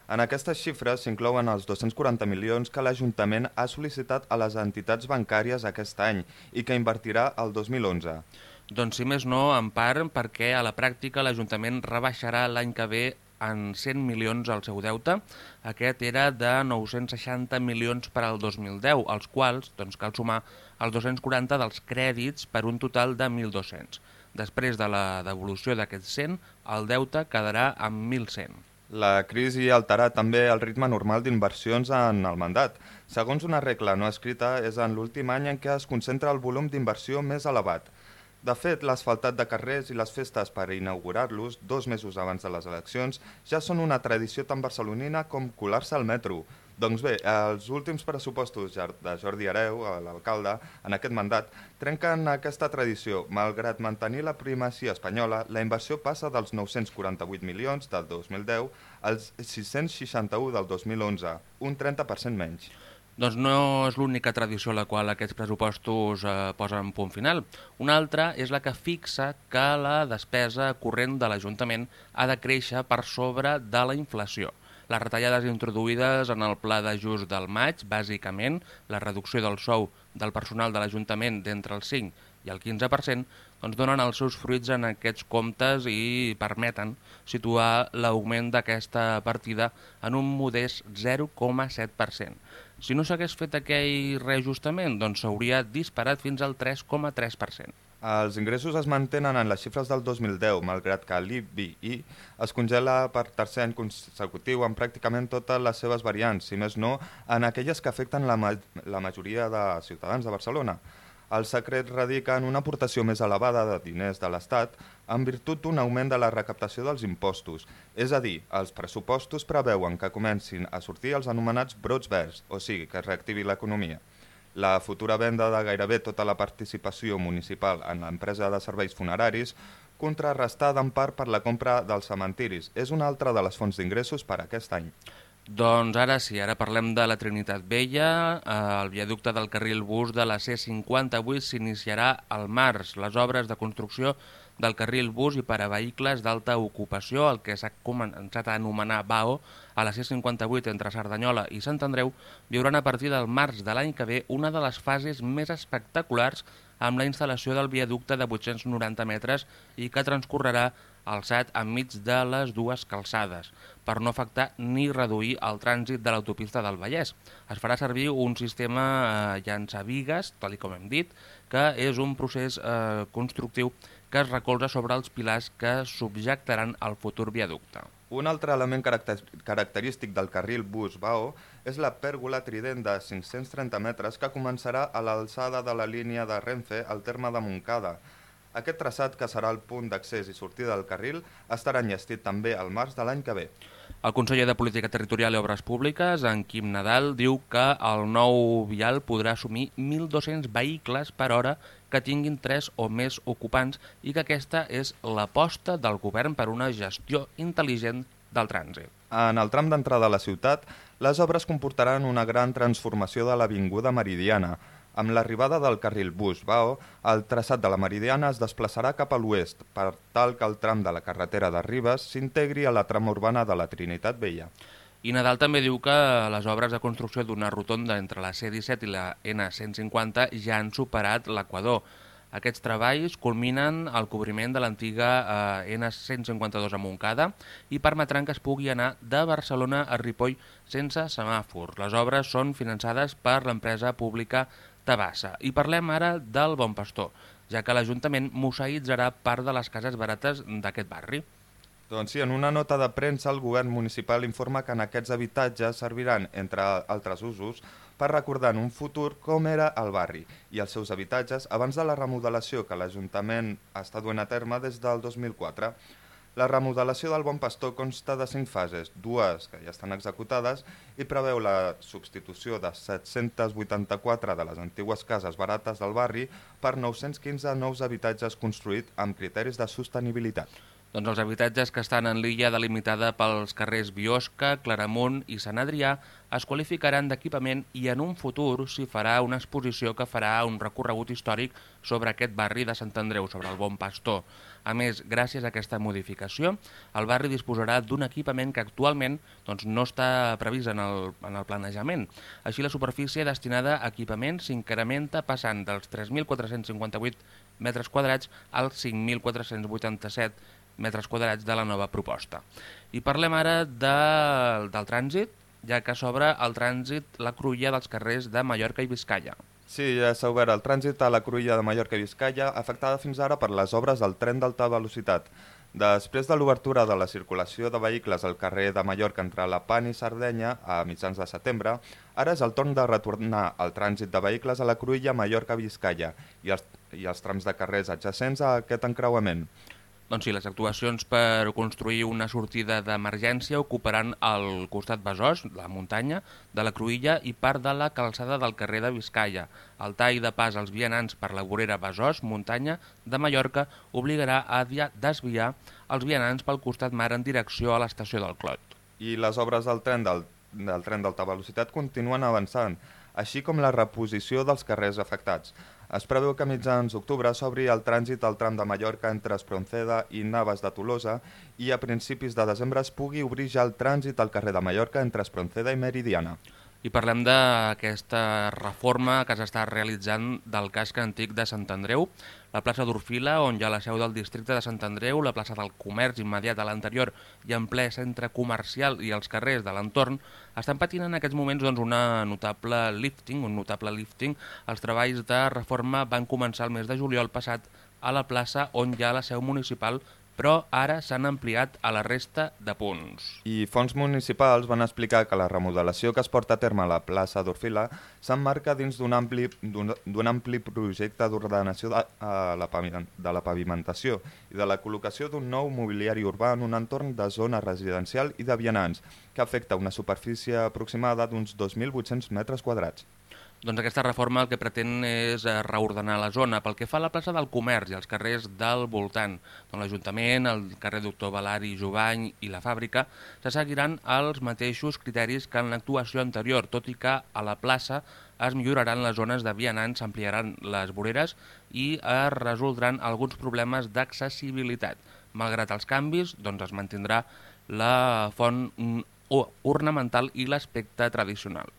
En aquestes xifres s'inclouen els 240 milions que l'Ajuntament ha sol·licitat a les entitats bancàries aquest any i que invertirà el 2011. Doncs si més no, en part perquè a la pràctica l'Ajuntament rebaixarà l'any que ve en 100 milions el seu deute. Aquest era de 960 milions per al 2010, als quals cal sumar els 240 dels crèdits per un total de 1.200. Després de la devolució d'aquests 100, el deute quedarà amb 1.100. La crisi alterarà també el ritme normal d'inversions en el mandat. Segons una regla no escrita, és en l'últim any en què es concentra el volum d'inversió més elevat. De fet, l'asfaltat de carrers i les festes per inaugurar-los 2 mesos abans de les eleccions ja són una tradició tan barcelonina com colar-se al metro. Doncs bé, els últims pressupostos de Jordi Hereu, l'alcalde, en aquest mandat, trenquen aquesta tradició. Malgrat mantenir la primacia espanyola, la inversió passa dels 948 milions del 2010 als 661 del 2011, un 30% menys. Doncs no és l'única tradició a la qual aquests pressupostos posen punt final. Una altra és la que fixa que la despesa corrent de l'Ajuntament ha de créixer per sobre de la inflació. Les retallades introduïdes en el pla d'ajust del maig, bàsicament la reducció del sou del personal de l'Ajuntament d'entre el 5 i el 15%, doncs donen els seus fruits en aquests comptes i permeten situar l'augment d'aquesta partida en un modest 0,7%. Si no s'hagués fet aquell reajustament, doncs s'hauria disparat fins al 3,3%. Els ingressos es mantenen en les xifres del 2010, malgrat que l'IBI es congela per tercer any consecutiu en pràcticament totes les seves variants, si més no en aquelles que afecten la majoria de ciutadans de Barcelona. El secret radica en una aportació més elevada de diners de l'Estat en virtut d'un augment de la recaptació dels impostos. És a dir, els pressupostos preveuen que comencin a sortir els anomenats brots verds, o sigui, que es reactivi l'economia. La futura venda de gairebé tota la participació municipal en l'empresa de serveis funeraris, contrarrestada en part per la compra dels cementiris, és una altra de les fonts d'ingressos per a aquest any. Doncs ara sí, ara parlem de la Trinitat Vella. El viaducte del carril bus de la C58 s'iniciarà al març. Les obres de construcció del carril bus i per a vehicles d'alta ocupació, el que s'ha començat a anomenar BAO, a la C58 entre Cerdanyola i Sant Andreu, viuran a partir del març de l'any que ve una de les fases més espectaculars amb la instal·lació del viaducte de 890 metres i que transcorrerà alçat enmig de les dues calçades, per no afectar ni reduir el trànsit de l'autopista del Vallès. Es farà servir un sistema llançavigues, tal com hem dit, que és un procés constructiu que es recolza sobre els pilars que subjectaran el futur viaducte. Un altre element característic del carril bus BAO és la pèrgola trident de 530 metres que començarà a l'alçada de la línia de Renfe al terme de Montcada. Aquest traçat, que serà el punt d'accés i sortida del carril, estarà enllestit també al març de l'any que ve. El conseller de Política Territorial i Obres Públiques, en Quim Nadal, diu que el nou vial podrà assumir 1.200 vehicles per hora que tinguin 3 o més ocupants i que aquesta és l'aposta del govern per una gestió intel·ligent del trànsit. En el tram d'entrada a la ciutat, les obres comportaran una gran transformació de l'Avinguda Meridiana. Amb l'arribada del carril bus-Vao, el traçat de la Meridiana es desplaçarà cap a l'oest, per tal que el tram de la carretera de Ribes s'integri a la trama urbana de la Trinitat Vella. I Nadal també diu que les obres de construcció d'una rotonda entre la C-17 i la N150 ja han superat l'equador. Aquests treballs culminen el cobriment de l'antiga N152 a Montcada i permetran que es pugui anar de Barcelona a Ripoll sense semàfor. Les obres són finançades per l'empresa pública Tabassa. I parlem ara del Bon Pastor, ja que l'Ajuntament museïtzarà part de les cases barates d'aquest barri. Doncs sí, en una nota de premsa el govern municipal informa que en aquests habitatges serviran, entre altres usos, per recordar en un futur com era el barri i els seus habitatges abans de la remodelació que l'Ajuntament està duent a terme des del 2004. La remodelació del Bon Pastor consta de 5 fases, 2 que ja estan executades i preveu la substitució de 784 de les antigues cases barates del barri per 915 nous habitatges construïts amb criteris de sostenibilitat. Doncs els habitatges que estan en l'illa delimitada pels carrers Biosca, Claramunt i Sant Adrià es qualificaran d'equipament i en un futur s'hi farà una exposició que farà un recorregut històric sobre aquest barri de Sant Andreu, sobre el Bon Pastor. A més, gràcies a aquesta modificació, el barri disposarà d'un equipament que actualment no està previst en el planejament. Així, la superfície destinada a equipament s'incrementa passant dels 3.458 metres quadrats als 5.487 metres quadrats de la nova proposta. I parlem ara del trànsit, ja que s'obre el trànsit la cruïlla dels carrers de Mallorca i Biscaia. Sí, ja s'ha obert el trànsit a la cruïlla de Mallorca i Biscaia, afectada fins ara per les obres del tren d'alta velocitat. Després de l'obertura de la circulació de vehicles al carrer de Mallorca entre la Pan i Sardenya a mitjans de setembre, ara és el torn de retornar el trànsit de vehicles a la cruïlla Mallorca-Biscaia i els trams de carrers adjacents a aquest encreuament. Doncs sí, les actuacions per construir una sortida d'emergència ocuparan el costat Besòs, la muntanya, de la cruïlla i part de la calçada del carrer de Biscaia. El tall de pas als vianants per la vorera Besòs, muntanya, de Mallorca, obligarà a desviar els vianants pel costat mar en direcció a l'estació del Clot. I les obres del tren d'alta velocitat continuen avançant, així com la reposició dels carrers afectats. Es preveu que a mitjans d'octubre s'obri el trànsit al tram de Mallorca entre Espronceda i Navas de Tolosa i a principis de desembre es pugui obrir ja el trànsit al carrer de Mallorca entre Espronceda i Meridiana. I parlem d'aquesta reforma que s'està realitzant del casc antic de Sant Andreu, la plaça d'Orfila, on hi ha la seu del districte de Sant Andreu, la plaça del comerç immediat a l'anterior i en ple centre comercial i els carrers de l'entorn, estan patint en aquests moments un notable lifting. Els treballs de reforma van començar el mes de juliol passat a la plaça on hi ha la seu municipal, però ara s'han ampliat a la resta de punts. I fons municipals van explicar que la remodelació que es porta a terme a la plaça d'Orfila s'emmarca dins d'un ampli projecte d'ordenació de la pavimentació i de la col·locació d'un nou mobiliari urbà en un entorn de zona residencial i de vianants, que afecta una superfície aproximada d'uns 2.800 metres quadrats. Doncs aquesta reforma el que pretén és reordenar la zona. Pel que fa a la plaça del Comerç i els carrers del voltant, l'Ajuntament, el carrer Doctor Balari Jovany i la Fàbrica, se seguiran els mateixos criteris que en l'actuació anterior, tot i que a la plaça es milloraran les zones de vianants, s'ampliaran les voreres i es resoldran alguns problemes d'accessibilitat. Malgrat els canvis, es mantindrà la font ornamental i l'aspecte tradicional.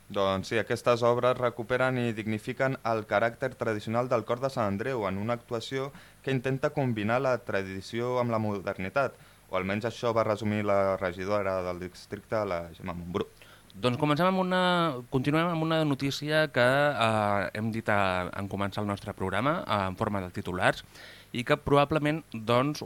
Doncs sí, aquestes obres recuperen i dignifiquen el caràcter tradicional del cor de Sant Andreu en una actuació que intenta combinar la tradició amb la modernitat, o almenys això va resumir la regidora del districte, la Gemma Montbrú. Doncs continuem amb una notícia que hem dit en començar el nostre programa en forma de titulars i que probablement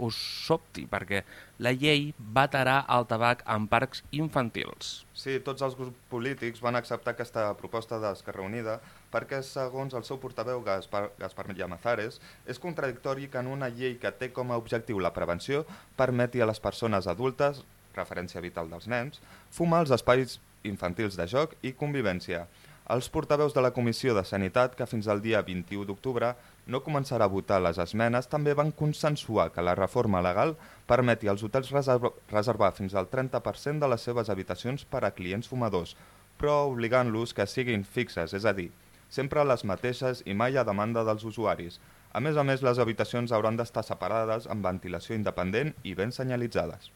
us sobti, perquè la llei vetarà el tabac en parcs infantils. Sí, tots els grups polítics van acceptar aquesta proposta d'Esquerra Unida perquè, segons el seu portaveu Gaspar Llamazares, és contradictori que en una llei que té com a objectiu la prevenció permeti a les persones adultes preferència vital dels nens, fumar als espais infantils de joc i convivència. Els portaveus de la Comissió de Sanitat, que fins al dia 21 d'octubre no començarà a votar les esmenes, també van consensuar que la reforma legal permeti als hotels reservar fins al 30% de les seves habitacions per a clients fumadors, però obligant-los que siguin fixes, és a dir, sempre les mateixes i mai a demanda dels usuaris. A més, les habitacions hauran d'estar separades amb ventilació independent i ben senyalitzades.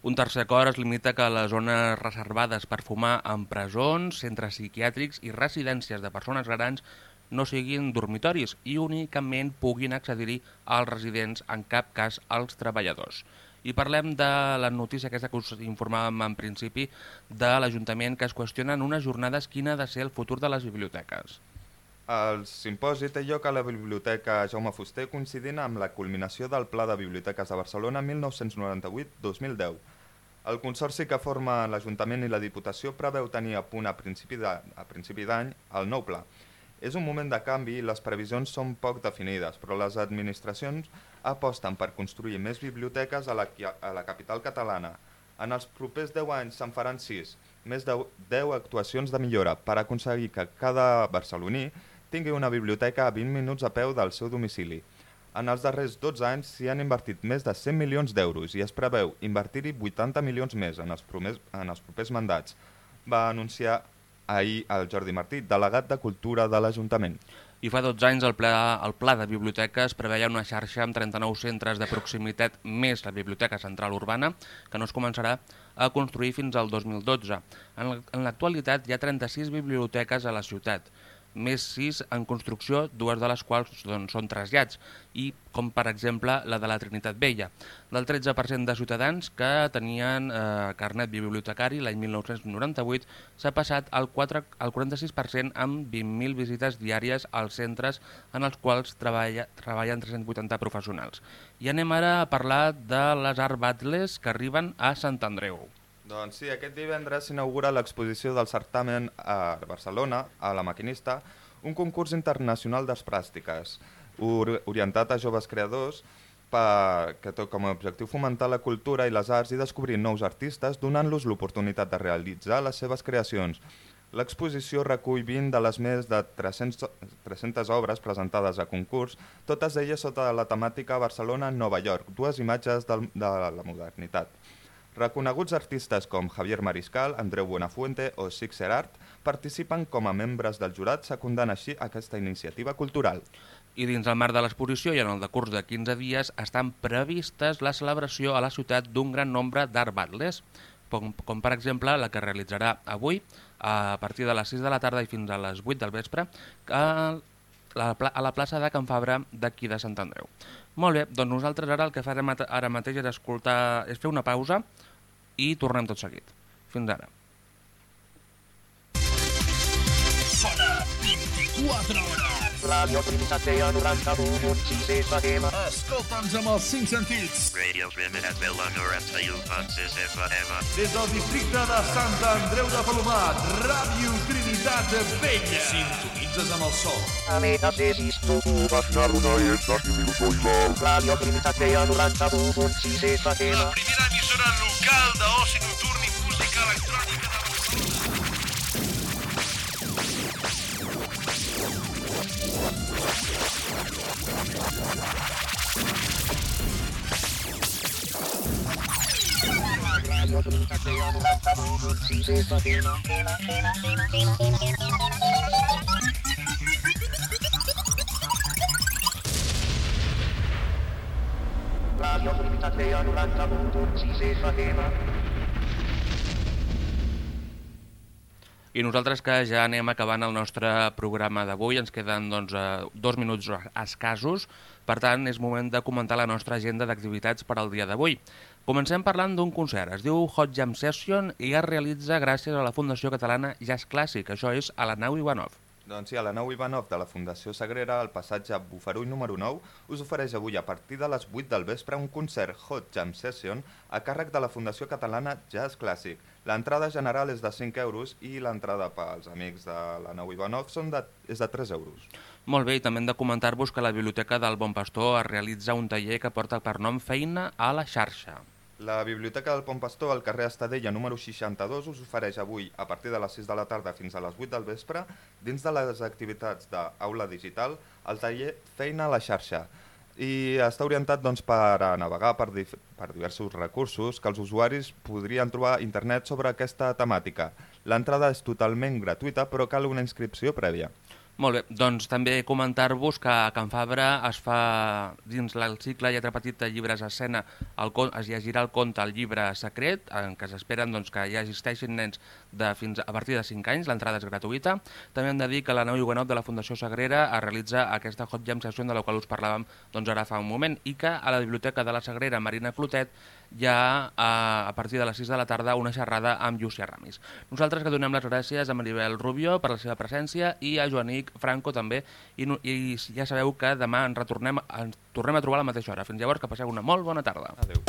Un tercer acord es limita que les zones reservades per fumar en presons, centres psiquiàtrics i residències de persones grans no siguin dormitoris i únicament puguin accedir-hi als residents, en cap cas als treballadors. I parlem de la notícia aquesta que us informàvem en principi de l'Ajuntament, que es qüestionen unes jornades quin ha de ser el futur de les biblioteques. El simposi té lloc a la Biblioteca Jaume Fuster coincidint amb la culminació del Pla de Biblioteques de Barcelona 1998-2010. El consorci que forma l'Ajuntament i la Diputació preveu tenir a punt a principi d'any el nou pla. És un moment de canvi i les previsions són poc definides, però les administracions aposten per construir més biblioteques a la capital catalana. En els propers 10 anys se'n faran 6, més de 10 actuacions de millora per aconseguir que cada barceloní tingui una biblioteca a 20 minuts a peu del seu domicili. En els darrers 12 anys s'hi han invertit més de 100 milions d'euros i es preveu invertir-hi 80 milions més en els propers mandats, va anunciar ahir el Jordi Martí, delegat de Cultura de l'Ajuntament. I fa 12 anys el pla de biblioteques preveia una xarxa amb 39 centres de proximitat més la Biblioteca Central Urbana, que no es començarà a construir fins al 2012. En l'actualitat hi ha 36 biblioteques a la ciutat, més 6 en construcció, 2 de les quals són trasllats, i com per exemple la de la Trinitat Vella. Del 13% de ciutadans que tenien carnet bibliotecari l'any 1998 s'ha passat al 46% amb 20.000 visites diàries als centres en els quals treballen 380 professionals. I anem ara a parlar de les Art Battles que arriben a Sant Andreu. Doncs sí, aquest divendres s'inaugura l'exposició del certamen a Barcelona, a La Maquinista, un concurs internacional d'arts plàstiques, orientat a joves creadors que té com a objectiu fomentar la cultura i les arts i descobrir nous artistes, donant-los l'oportunitat de realitzar les seves creacions. L'exposició recull 20 de les més de 300 obres presentades a concurs, totes elles sota la temàtica Barcelona-Nova York, dues imatges de la modernitat. Reconeguts artistes com Javier Mariscal, Andreu Buenafuente o Sixer Art participen com a membres del jurat, secundant així aquesta iniciativa cultural. I dins el marc de l'exposició i en el decurs de 15 dies estan previstes la celebració a la ciutat d'un gran nombre d'art battles, com per exemple la que realitzarà avui a partir de les 6 de la tarda i fins a les 8 del vespre a la plaça de Can Fabra d'aquí de Sant Andreu. Molt bé, doncs nosaltres ara el que farem ara mateix és fer una pausa i tornem tot seguit. Fins ara. Sona 24 hores. Radio Trinitat Vella 91.6 FM. Escolta'ns amb els 5 sentits. Radio Trinitat Vella 91.6 FM. Des del districte de Sant Andreu de Palomar, Ràdio Trinitat Vella. Sintonitzes amb el sol. Radio Trinitat Vella 91.6 FM. La primera emissora local d'oci nocturn i música electrònica de Radio Trinitat Vella 91.6 FM. Radio Trinitat Vella 91.6 FM. I nosaltres que ja anem acabant el nostre programa d'avui, ens queden 2 minuts escassos, per tant és moment de comentar la nostra agenda d'activitats per al dia d'avui. Comencem parlant d'un concert, es diu Hot Jam Session i es realitza gràcies a la Fundació Catalana Jazz Clàssic, això és a la nau Ivanov. Doncs sí, a la nau Ivanov de la Fundació Sagrera, al passatge Bufarull número 9, us ofereix avui a partir de les 8 del vespre un concert Hot Jam Session a càrrec de la Fundació Catalana Jazz Clàssic. L'entrada general és de 5 euros i l'entrada pels amics de la nau Ivanov és de 3 euros. Molt bé, i també hem de comentar-vos que la Biblioteca del Bon Pastor es realitza un taller que porta per nom Feina a la xarxa. La Biblioteca del Pont Pastor, al carrer Estadella número 62, us ofereix avui, a partir de les 6 de la tarda fins a les 8 del vespre, dins de les activitats d'Aula Digital, el taller Feina a la xarxa. I està orientat doncs, per a navegar per diversos recursos que els usuaris podrien trobar a internet sobre aquesta temàtica. L'entrada és totalment gratuïta, però cal una inscripció prèvia. Molt bé, doncs també comentar-vos que a Can Fabra es fa, dins el cicle Lletra Petita, llibres a escena, es llegirà el conte El llibre secret, en què s'esperen doncs, que ja existeixin nens fins a partir de 5 anys, l'entrada és gratuïta. També hem de dir que la nau Huguenot de la Fundació Sagrera es realitza aquesta Hot Jam Session de la qual us parlàvem doncs, ara fa un moment, i que a la Biblioteca de la Sagrera Marina Clotet hi ha a partir de les 6 de la tarda una xerrada amb Llucia Ramis. Nosaltres que donem les gràcies a Maribel Rubio per la seva presència i a Joanic Franco també, i ja sabeu que demà ens tornem a trobar a la mateixa hora. Fins llavors, que passeu una molt bona tarda. Adéu.